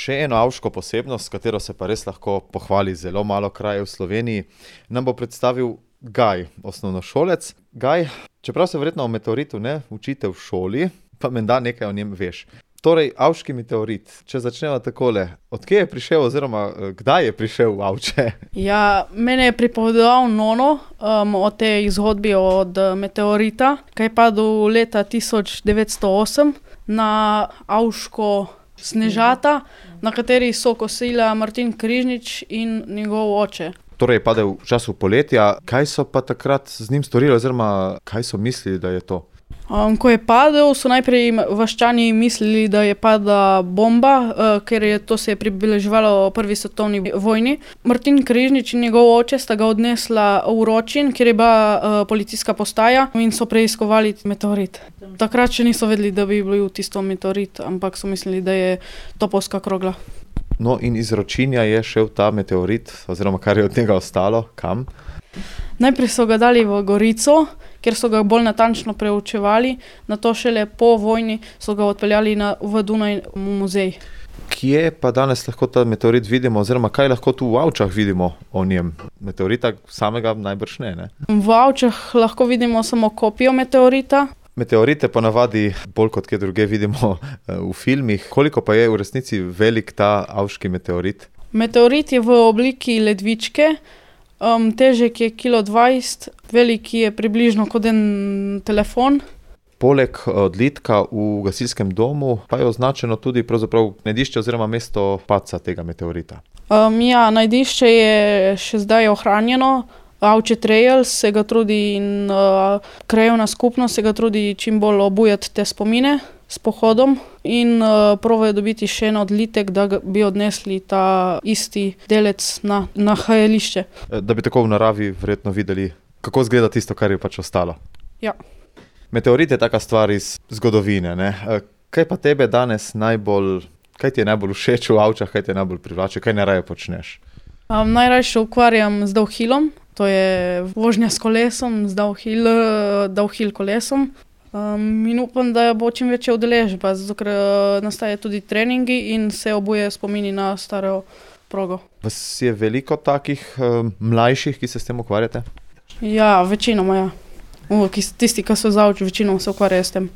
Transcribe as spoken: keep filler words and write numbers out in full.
Še eno avško posebnost, s katero se pa res lahko pohvali zelo malo krajev v Sloveniji, nam bo predstavil Gaj, osnovnošolec. Gaj, čeprav se verjetno o meteoritu ne učite v šoli, pa menda nekaj o njem veš. Torej, avški meteorit, če začnemo takole, odkje je prišel oziroma kdaj je prišel v Avče? Ja, mene je pripovedoval nono um, o tej zgodbi od meteorita, ki je padel leta tisoč devetsto osem na Avško Snežata, na kateri so kosila Martin Križnič in njegov oče. Torej je padel v času poletja. Kaj so pa takrat z njim storili oziroma kaj so mislili, da je to? Um, ko je padel, so najprej vaščani mislili, da je padla bomba, uh, ker je to se je približevalo prvi svetovni vojni. Martin Križnič in njegov oče sta ga odnesla v Ročin, kjer je bila uh, policijska postaja in so preiskovali meteorit. Takrat še niso vedeli, da bi bil tisto meteorit, ampak so mislili, da je topovska krogla. No in iz Ročinja je šel ta meteorit, oziroma kar je od njega ostalo, kam? Najprej so ga dali v Gorico, kjer so ga bolj natančno preučevali, nato šele po vojni so ga odpeljali na, v Dunaj v muzej. Kje pa danes lahko ta meteorit vidimo, oziroma kaj lahko tu v Avčah vidimo o njem? Meteorita samega najbrž ne, ne? V Avčah lahko vidimo samo kopijo meteorita. Meteorite ponavadi bolj kot kje druge vidimo v filmih. Koliko pa je v resnici velik ta avški meteorit? Meteorit je v obliki ledvičke, um, težek je kilo dvajset, velik je približno kot en telefon. Poleg odlitka v gasilskem domu pa je označeno tudi pravzaprav najdišče oziroma mesto padca tega meteorita. Um, ja, najdišče je še zdaj ohranjeno. Avče Trails se ga trudi in uh, krajevna skupnost se ga trudi čim bolj obujati te spomine s pohodom in uh, provajo dobiti še en odlitek, da bi odnesli ta isti delec na nahajališče. Da bi tako v naravi verjetno videli, kako izgleda tisto, kar je pač ostalo. Ja. Meteorit je taka stvar iz zgodovine, ne? Kaj pa tebe danes najbolj, kaj ti je najbolj všeč v Avčah, kaj ti je najbolj privlače, kaj najraje počneš? Um, najraje se ukvarjam z downhillom, to je vožnja s kolesom, z downhill, downhill kolesom. Um, in upam, da bo čim večja udeležba, zato ker nastaje tudi treningi in se obuje spomini na staro progo. Vas je veliko takih um, mlajših, ki se s tem ukvarjate? Ja, večinoma ja. Uh, tisti, ki so z Avč, večinoma se ukvarjajo s tem.